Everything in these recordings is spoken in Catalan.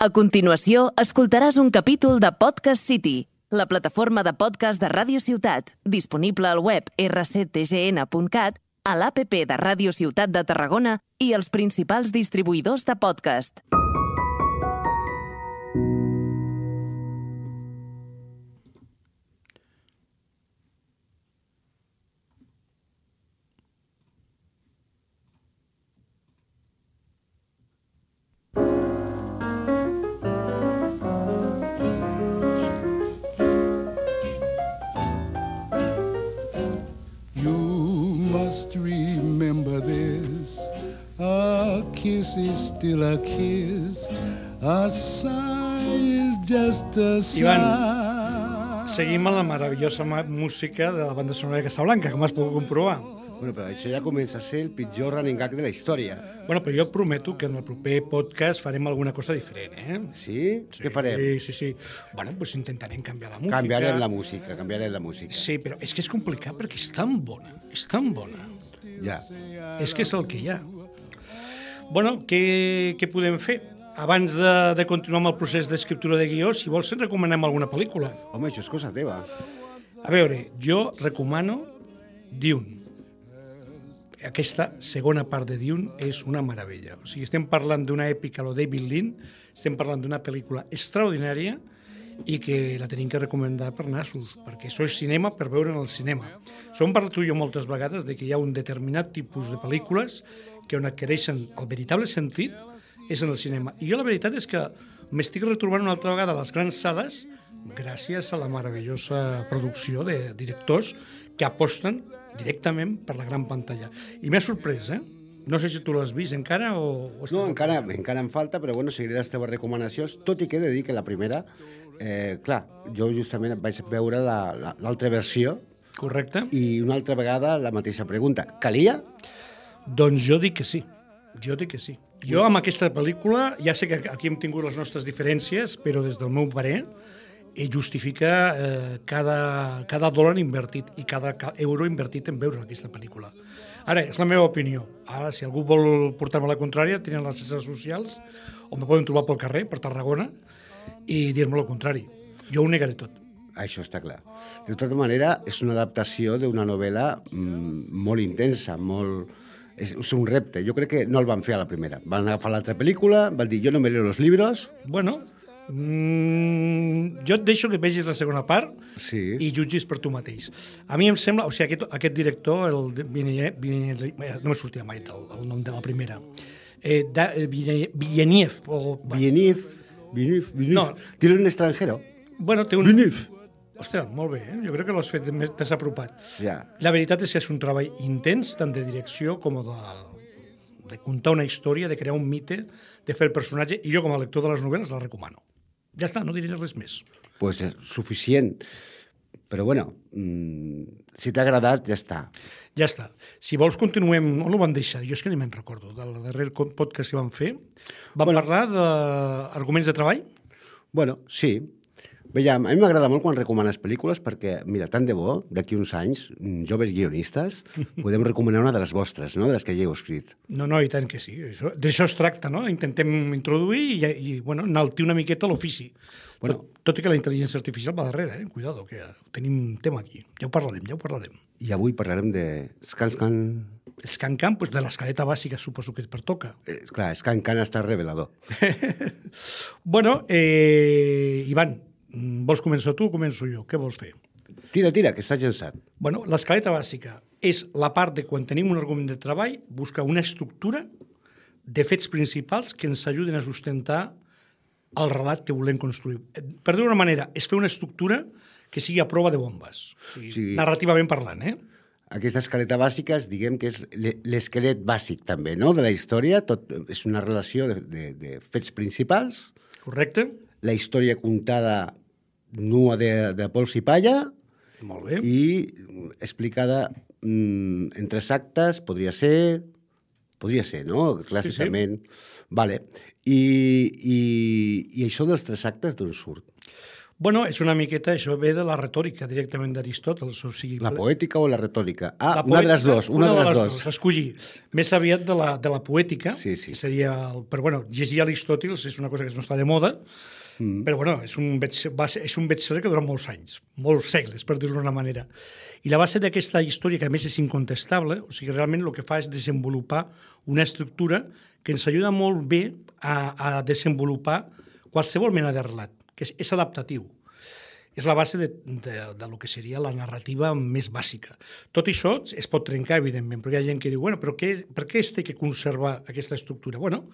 A continuació, escoltaràs un capítol de Podcast City, la plataforma de podcast de Ràdio Ciutat, disponible al web rctgn.cat, a l'APP de Ràdio Ciutat de Tarragona i els principals distribuïdors de podcast. Remember this, a kiss is still a kiss, a sigh is just a sigh. Ivan, seguim amb la meravellosa música de la banda sonora de Casablanca, com has pogut comprovar. Bueno, però això ja comença a ser el pitjor running gag de la història. Bueno, però jo et prometo que en el proper podcast farem alguna cosa diferent, eh? Sí? Què farem? Sí. Bueno, doncs intentarem canviar la música. Canviarem la música. Sí, però és que és complicat perquè és tan bona, Ja. És que és el que hi ha. Bueno, què podem fer? Abans de continuar amb el procés d'escriptura de guió, si vols, ens recomanem alguna pel·lícula. Home, això és cosa teva. A veure, jo recomano Dune. Aquesta segona part de Dune és una meravella. O sigui, estem parlant d'una èpica a lo David Lynch, estem parlant d'una pel·lícula extraordinària i que la tenim que recomanar per nassos, perquè això és cinema per veure en el cinema. Som parlat tu i jo moltes vegades de que hi ha un determinat tipus de pel·lícules que on adquireixen el veritable sentit és en el cinema. I jo la veritat és que m'estic retrobant una altra vegada a les grans sales gràcies a la meravellosa producció de directors que aposten directament per la gran pantalla. I m'ha sorprès, eh? No sé si tu l'has vist encara o... No, encara em falta, però bueno, seguiré les teves recomanacions, tot i que he de dir que la primera, clar, jo justament vaig veure l'altra versió. Correcte. I una altra vegada la mateixa pregunta. Calia? Doncs jo dic que sí. Jo amb aquesta pel·lícula, ja sé que aquí hem tingut les nostres diferències, però des del meu parer justifica cada dòlar invertit i cada euro invertit en veure aquesta pel·lícula. Ara, és la meva opinió. Ara, si algú vol portar-me la contrària, tenen les xarxes socials, o me poden trobar pel carrer, per Tarragona, i dir-me el contrari. Jo ho negaré tot. Això està clar. De tota manera, és una adaptació d'una novel·la molt intensa, és un repte. Jo crec que no el van fer a la primera. Van agafar l'altra pel·lícula, van dir, jo no me leo los libros. Bueno, jo et deixo que vegis la segona part i jutgis per tu mateix. A mi em sembla, o sigui, aquest director, no me sortirà mai el nom de la primera, Villeneuve. No. Dilo en extranjero. Bueno, té un... Villeneuve. Hòstia, molt bé, jo crec que l'has fet més desapropat. Ja. La veritat és que és un treball intens, tant de direcció com de contar una història, de crear un mite, de fer el personatge, i jo com a lector de les novel·les la recomano. Ja està, no diré res més. Pues és suficient. Però bueno, si t'ha agradat, ja està. Ja està. Si vols, continuem... On ho van deixar? Jo és que ni me'n recordo. Del darrer podcast que vam fer. Vam parlar d'arguments de treball? Bueno, sí. Veiem, a mi m'agrada molt quan recomanes pel·lícules perquè, mira, tant de bo, d'aquí uns anys, joves guionistes, podem recomanar una de les vostres, no?, de les que ja heu escrit. No, i tant que sí. D'això es tracta, no? Intentem introduir i enaltir una miqueta l'ofici. Bueno, tot i que la intel·ligència artificial va darrere, Cuidado, que tenim tema aquí. Ja ho parlarem. I avui parlarem de Scan. Scan, doncs de l'escaleta bàsica, suposo que et pertoca. Clar, Scan està revelador. Bueno, Ivan, vols començar tu o començo jo? Què vols fer? Tira, que estàs llançat. Bueno, l'escaleta bàsica és la part de quan tenim un argument de treball, buscar una estructura de fets principals que ens ajuden a sustentar el relat que volem construir. Per dir-ho d'una manera, és fer una estructura que sigui a prova de bombes. Narrativament parlant, Aquesta escaleta bàsica, diguem que és l'esquelet bàsic també, no?, de la història. Tot és una relació de fets principals. Correcte. La història contada nua de pols i palla. Molt bé. I explicada en 3 actes, podria ser, no?, clàssicament. Sí. Vale. I això dels 3 actes d'on surt? Bueno, és una miqueta, això ve de la retòrica directament d'Aristòtel. O sigui, La poètica o la retòrica? la Una de les poètica, dues, una de les dues. Escollir. Més aviat de la poètica, Sí, sí. que seria... Però, bueno, llegir Aristòtil és una cosa que no està de moda, però, bueno, és un bestseller que dura molts anys, molts segles, per dir-ho d'una manera. I la base d'aquesta història, que a més és incontestable, o sigui, realment el que fa és desenvolupar una estructura que ens ajuda molt bé a desenvolupar qualsevol mena de relat, que és adaptatiu. És la base de lo que seria la narrativa més bàsica. Tot això es pot trencar, evidentment, perquè hi ha gent que diu, bueno, però per què es té que conservar aquesta estructura? Bueno,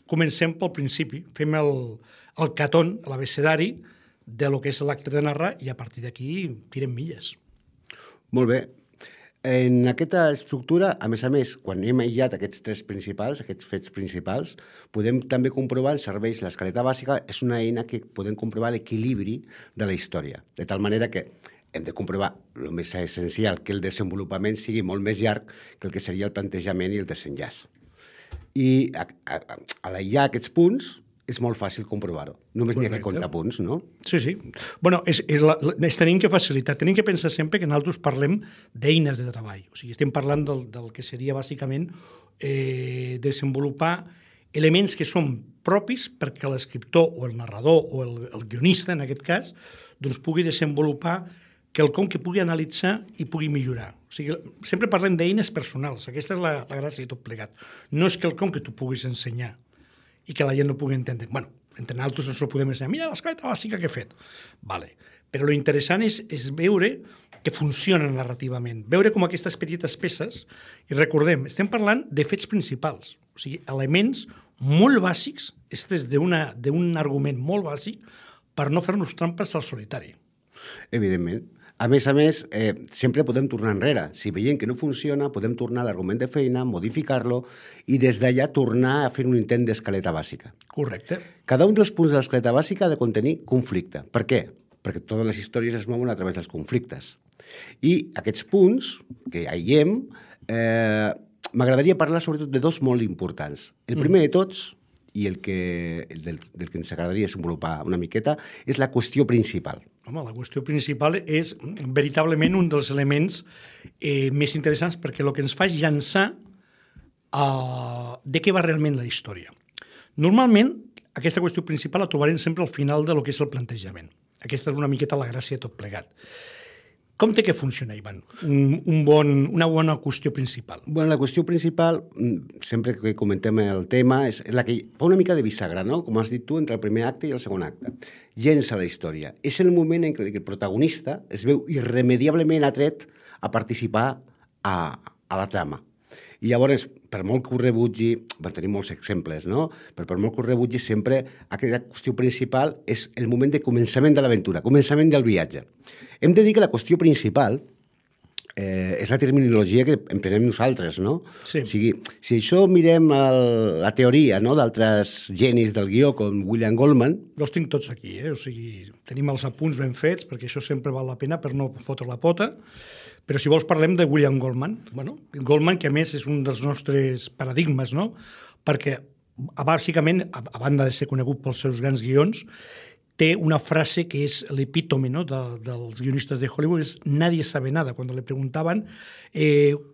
comencem pel principi, fem el catón, l'abecedari de lo que és l'acte de narrar i a partir d'aquí tirem milles. Molt bé. En aquesta estructura, a més, quan hem aïllat aquests fets principals, podem també comprovar els serveis. L'escaleta bàsica és una eina que podem comprovar l'equilibri de la història, de tal manera que hem de comprovar el més essencial, que el desenvolupament sigui molt més llarg que el que seria el plantejament i el desenllaç. I a l'aïllar aquests punts és molt fàcil comprovar-ho. Només n'hi ha que comptar punts, no? Sí, sí. Bueno, tenim que facilitar. Tenim que pensar sempre que nosaltres parlem d'eines de treball. O sigui, estem parlant del que seria bàsicament desenvolupar elements que són propis perquè l'escriptor o el narrador o el guionista, en aquest cas, doncs pugui desenvolupar quelcom que pugui analitzar i pugui millorar. O sigui, sempre parlem d'eines personals. Aquesta és la gràcia de tot plegat. No és quelcom que tu puguis ensenyar i que la gent no pugui entendre. Bueno, entre nosaltres ens ho podem ensenyar. Mira l'escaleta bàsica que he fet. Vale. Però l'interessant és veure que funciona narrativament, veure com aquestes petites peces, i recordem, estem parlant de fets principals, o sigui, elements molt bàsics, és d'un argument molt bàsic per no fer-nos trampes al solitari. Evidentment. A més, sempre podem tornar enrere. Si veiem que no funciona, podem tornar a l'argument de feina, modificar-lo i des d'allà tornar a fer un intent d'escaleta bàsica. Correcte. Cada un dels punts de l'escaleta bàsica ha de contenir conflicte. Per què? Perquè totes les històries es mouen a través dels conflictes. I aquests punts que aïllem, m'agradaria parlar sobretot de dos molt importants. El primer de tots, i del que ens agradaria desenvolupar una miqueta, és la qüestió principal. Home, la qüestió principal és veritablement un dels elements més interessants perquè el que ens fa és llançar de què va realment la història. Normalment, aquesta qüestió principal la trobarem sempre al final de lo que és el plantejament. Aquesta és una miqueta la gràcia de tot plegat. Com té que funcionar, Ivan, una bona qüestió principal? Bueno, la qüestió principal, sempre que comentem el tema, és la que fa una mica de bisagra, no? Com has dit tu, entre el primer acte i el segon acte. Llença la història. És el moment en què el protagonista es veu irremediablement atret a participar a la trama. I llavors, per molt que ho rebutgi, tenim molts exemples, no? Però per molt que ho rebutgi, sempre aquesta qüestió principal és el moment de començament de l'aventura, començament del viatge. Hem de dir que la qüestió principal és la terminologia que emprenem nosaltres, no? Sí. O sigui, si això mirem la teoria, no?, d'altres genis del guió, com William Goldman... Jo els tinc tots aquí, O sigui, tenim els apunts ben fets, perquè això sempre val la pena per no fotre la pota. Però si vols parlem de William Goldman. Bueno, Goldman, que a més és un dels nostres paradigmes, no? Perquè, bàsicament, a banda de ser conegut pels seus grans guions, té una frase que és l'epítome, no?, dels guionistes de Hollywood, és nadie sabe nada. Quan li preguntaven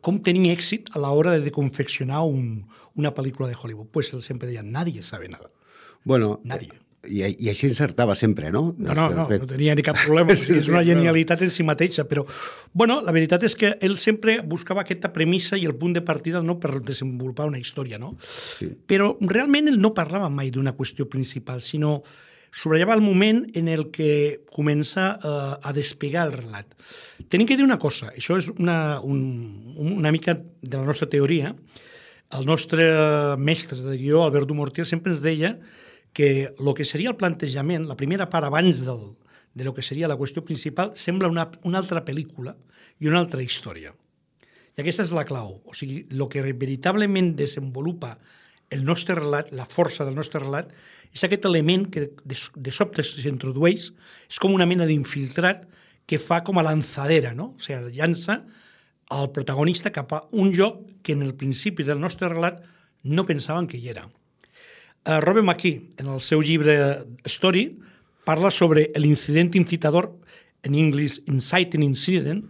com tenia èxit a l'hora de confeccionar una pel·lícula de Hollywood, pues él sempre deia, nadie sabe nada. Bueno, Nadie. I així encertava sempre, no? No tenia ni cap problema, és una genialitat en si mateixa, però bueno, la veritat és que ell sempre buscava aquesta premissa i el punt de partida no per desenvolupar una història, no? Sí. Però realment ell no parlava mai d'una qüestió principal, sinó subratllava el moment en el que comença a despegar el relat. Tenim que dir una cosa, això és una mica de la nostra teoria. El nostre mestre de guió, Albert Dumortier, sempre ens deia que el que seria el plantejament, la primera part abans de lo que seria la qüestió principal, sembla una altra pel·lícula i una altra història. I aquesta és la clau. O sigui, el que veritablement desenvolupa el nostre relat, la força del nostre relat, és aquest element que de sobte s'introdueix, és com una mena d'infiltrat que fa com a lanzadera, no? O sigui, llança el protagonista cap a un lloc que en el principi del nostre relat no pensaven que hi era. Robert McKee, en el seu llibre Story, parla sobre l'incident incitador, en anglès inciting incident,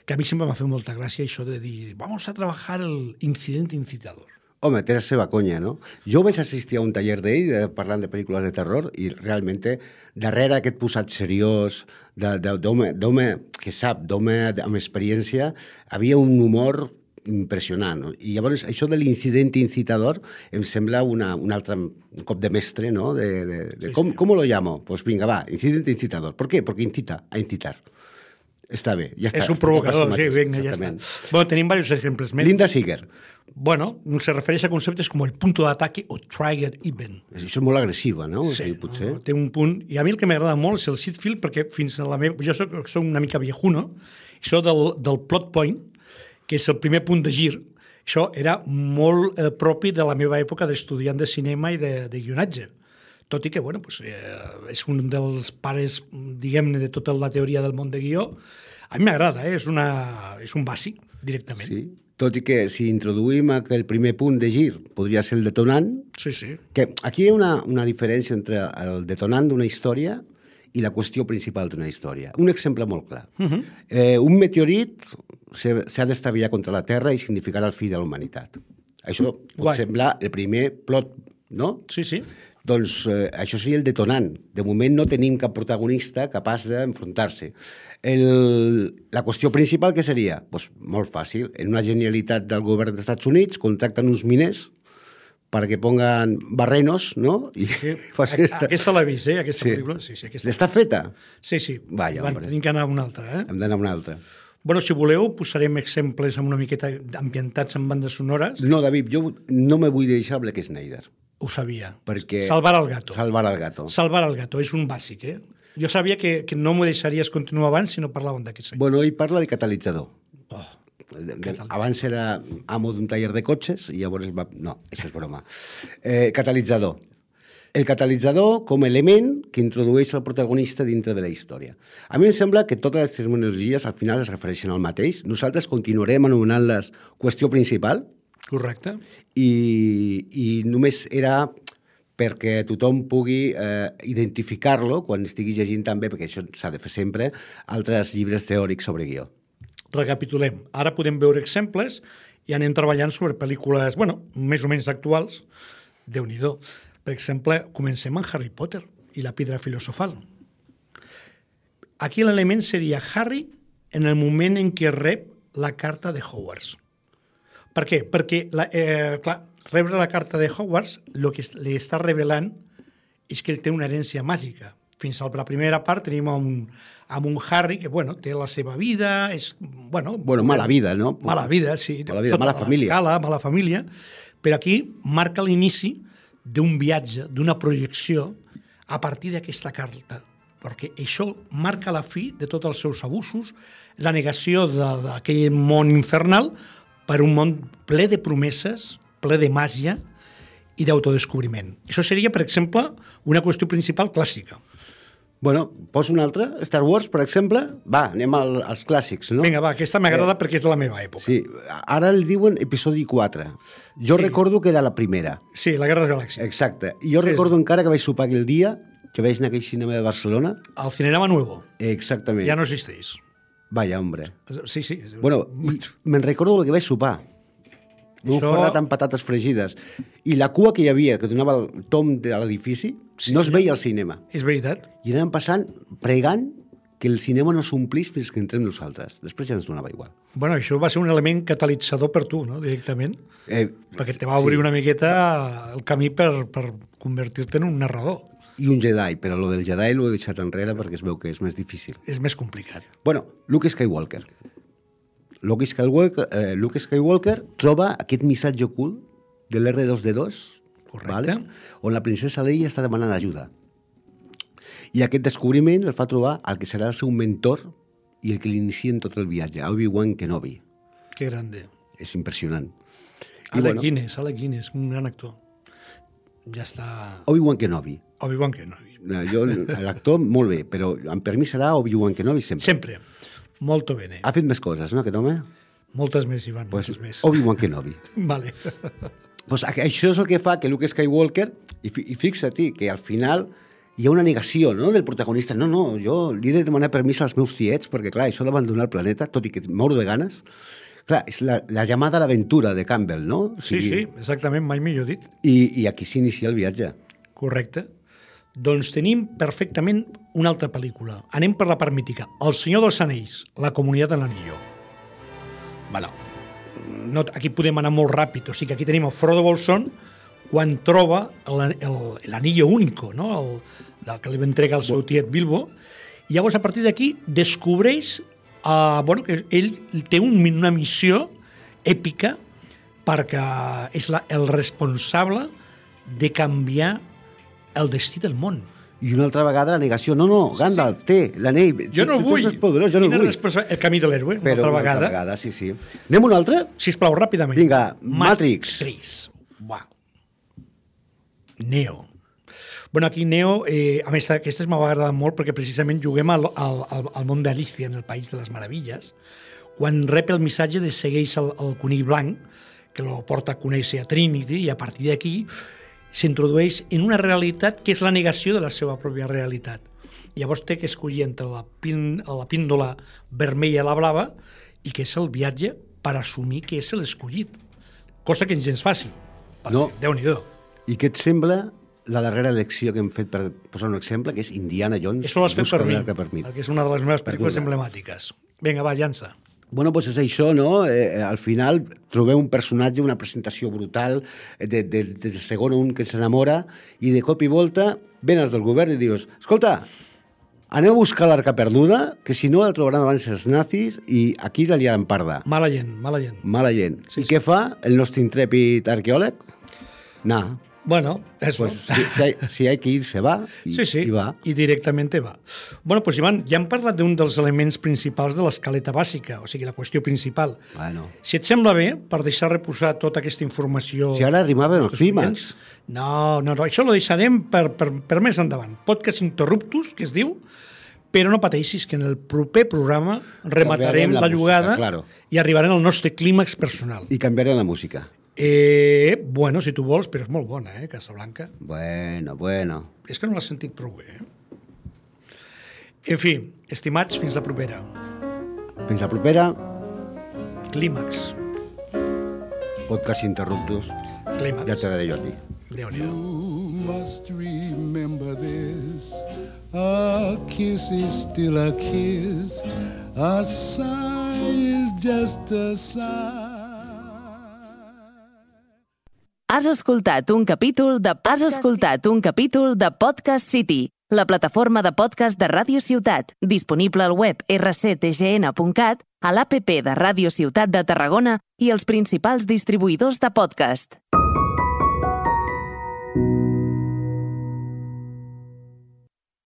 que a mi sempre m'ha fet molta gràcia això de dir vamos a trabajar el incident incitador. Home, té la seva conya, no? Jo vaig assistir a un taller d'ell parlant de pel·lícules de terror i realment darrere aquest posat seriós d'home que sap, d'home amb experiència, havia un humor impressionant. No? I llavors això de l'incident incitador em sembla un altre cop de mestre, no? ¿Cómo lo llamo? Pues vinga, va, incident incitador. ¿Por qué? Porque incita a incitar. Està bé, ja està. És un provocador, sí, vinga, ja està. Bueno, tenim diversos exemples més. Linda Seeger. Bueno, se refereix a conceptes com el punto d'ataque o trigger event. Això és molt agressiva, no? Sí, potser. Té un punt... I a mi el que m'agrada molt és el seed field, perquè fins a la meva... Jo soc una mica viejuno, això del plot point, que és el primer punt de gir, això era molt propi de la meva època d'estudiant de cinema i de guionatge. Tot i que, bueno, pues, és un dels pares, diguem-ne, de tota la teoria del món de guió. A mi m'agrada, és un bàsic, directament. Sí, tot i que si introduïm el primer punt de gir podria ser el detonant, sí, sí. Que aquí hi ha una diferència entre el detonant d'una història i la qüestió principal d'una història. Un exemple molt clar. Un meteorit s'ha d'estavellar contra la Terra i significarà el fi de la humanitat. Això pot semblar el primer plot, no? Sí, sí. Doncs això seria el detonant. De moment no tenim cap protagonista capaç d'enfrontar-se. La qüestió principal què seria? Pues molt fàcil. En una genialitat del govern dels Estats Units contracten uns miners perquè pongan barrenos, no? I sí. Aquesta l'he vist, aquesta pel·lícula. Sí, l'està feta? Sí. Vaya, bueno, tenim que anar a una altra, Hem d'anar a una altra. Bueno, si voleu, posarem exemples amb una miqueta ambientats en bandes sonores. No, David, jo no me vull deixar Black Snyder. Ho sabia. Perquè... Salvar al gato. Salvar al gato. Salvar al gato, és un bàsic, Jo sabia que no m'ho deixaries continuar abans si no parlàvem d'aquest senyor. Bueno, ell parla de catalitzador. Abans era amo d'un taller de cotxes i llavors va... No, això és broma. Catalitzador. El catalitzador com a element que introdueix el protagonista dintre de la història. A mi em sembla que totes les terminologies al final es refereixen al mateix. Nosaltres continuarem anomenant-les qüestió principal. Correcte. I només era perquè tothom pugui identificar-lo quan estigui llegint també, perquè això s'ha de fer sempre, altres llibres teòrics sobre guió. Recapitulem. Ara podem veure exemples i anem treballant sobre pel·lícules, bueno, més o menys actuals. Déu-n'hi-do. Per exemple, comencem amb Harry Potter i la pedra filosofal. Aquí l'element seria Harry en el moment en què rep la carta de Hogwarts. Per què? Perquè, clar, rebre la carta de Hogwarts el que li està revelant és que ell té una herència màgica. Fins a la primera part tenim amb un Harry que, bueno, té la seva vida, és, bueno... Bueno, mala vida, no? Mala vida, sí. Mala vida, mala família. Escala, mala família. Però aquí marca l'inici d'un viatge, d'una projecció a partir d'aquesta carta, perquè això marca la fi de tots els seus abusos, la negació d'aquell món infernal per un món ple de promeses, ple de màgia i d'autodescobriment. Això seria, per exemple, una qüestió principal clàssica. Bueno, poso una altra. Star Wars, per exemple. Va, anem als clàssics, no? Vinga, va, aquesta m'agrada perquè és de la meva època. Sí, ara el diuen episodi 4. Jo recordo que era la primera. Sí, la Guerra de les Galàxies. Exacte. I jo recordo encara que vaig sopar aquell dia, que vaig anar a aquell cinema de Barcelona. Al Cinerama Nuevo. Exactament. Ja no existeix. Vaya, hombre. Sí. Bueno, me'n recordo el que vaig sopar. Un ferrat amb patates fregides. I la cua que hi havia, que donava el tom de l'edifici, no es veia al cinema. És veritat. I anàvem passant, pregant, que el cinema no s'omplís fins que entrem nosaltres. Després ja ens donava igual. Bueno, això va ser un element catalitzador per tu, no?, directament. Perquè te va obrir una miqueta el camí per convertir-te en un narrador. I un Jedi, però lo del Jedi l'ho he deixat enrere perquè es veu que és més difícil. És més complicat. Bueno, Luke Skywalker. Luke Skywalker troba aquest missatge ocult de l'R2D2, correcte, on la princesa Leia està demanant ajuda. I aquest descobriment el fa trobar el que serà el seu mentor i el que l'inicia en tot el viatge, Obi-Wan Kenobi. Que grande. És impressionant. Alec Guinness, un gran actor. Ja està... Obi-Wan Kenobi. L'actor, molt bé, però per mi serà Obi-Wan Kenobi sempre. Sempre. Molto bene. Ha fet més coses, no, aquest home? Moltes més, Ivan, moltes més. Obi-Wan Kenobi. Vale. Pues això és el que fa que Luke Skywalker, i fixa't que al final hi ha una negació, no?, del protagonista. No, jo li he de demanar permís als meus tiets, perquè, clar, això d'abandonar el planeta, tot i que moro de ganes... Clar, és la llamada a l'aventura de Campbell, no? O sigui, Sí, exactament, mai millor dit. I aquí s'inicia el viatge. Correcte. Doncs tenim perfectament una altra pel·lícula. Anem per la part mítica. El Senyor dels Anells, La Comunitat de l'Anillo. Bueno, no, aquí podem anar molt ràpid. O sigui que aquí tenim el Frodo Bolsón quan troba l'anillo único, no? El que li va entregar el seu tiet Bilbo. I llavors, a partir d'aquí, descobreix que ell té una missió èpica perquè és el responsable de canviar el destí del món. I una altra vegada la negació. No, Gandalf, té l'anell. Jo no el vull. Jo no el vull. El camí de l'héroe, una altra vegada, sí. Anem una altra? Sisplau, ràpidament. Vinga, Matrix. Buah. Neo. Bueno, aquí Neo, a més, aquesta m'ha agradat molt perquè precisament juguem al món d'Alicia, en el País de les Meravilles, quan rep el missatge de segueix el conill blanc, que lo porta a conèixer a Trinity, i a partir d'aquí s'introdueix en una realitat que és la negació de la seva pròpia realitat. Llavors té que escollir entre la píndola vermella i la blava, i que és el viatge per assumir que és l'escollit. Cosa que és gens fàcil. No. Déu-n'hi-do. I què et sembla la darrera elecció que hem fet, per posar un exemple, que és Indiana Jones? Això l'has fet per mi, que és una de les meves pel·lícules emblemàtiques. Vinga, va, llança. Bueno, doncs és això, no? Al final trobeu un personatge, una presentació brutal del segon un que s'enamora, i de cop i volta ven els del govern i dius, escolta, aneu a buscar l'arca perduda, que si no la trobaran abans els nazis i aquí la liaran parda. Mala gent. Mala gent. Sí, I què fa el nostre intrèpid arqueòleg? Bueno, eso. Pues si hay que ir, se va i va. I directament va. Bueno, pues Ivan, ja hem parlat d'un dels elements principals de l'escaleta bàsica, o sigui, la qüestió principal. Bueno. Si et sembla bé, per deixar reposar tota aquesta informació... Si ara arribaven els clímax. No, això lo deixarem per més endavant. Podcast interruptus, que es diu, però no pateixis que en el proper programa rematarem la jugada música, claro. I arribarem al nostre clímax personal. I canviarem la música. Bueno, si tu vols, però és molt bona, Casablanca. Bueno. És que no l'has sentit prou bé, En fi, estimats, fins la propera. Fins la propera. Clímax. Podcast interruptus. Clímax. Ja te daré jo a ti. Déu-n'hi-do. You must remember this. A kiss is still a kiss. A sigh is just a sigh. Has escoltat un capítol de Podcast City, la plataforma de podcast de Ràdio Ciutat, disponible al web rctgn.cat, a l'APP de Ràdio Ciutat de Tarragona i els principals distribuïdors de podcast.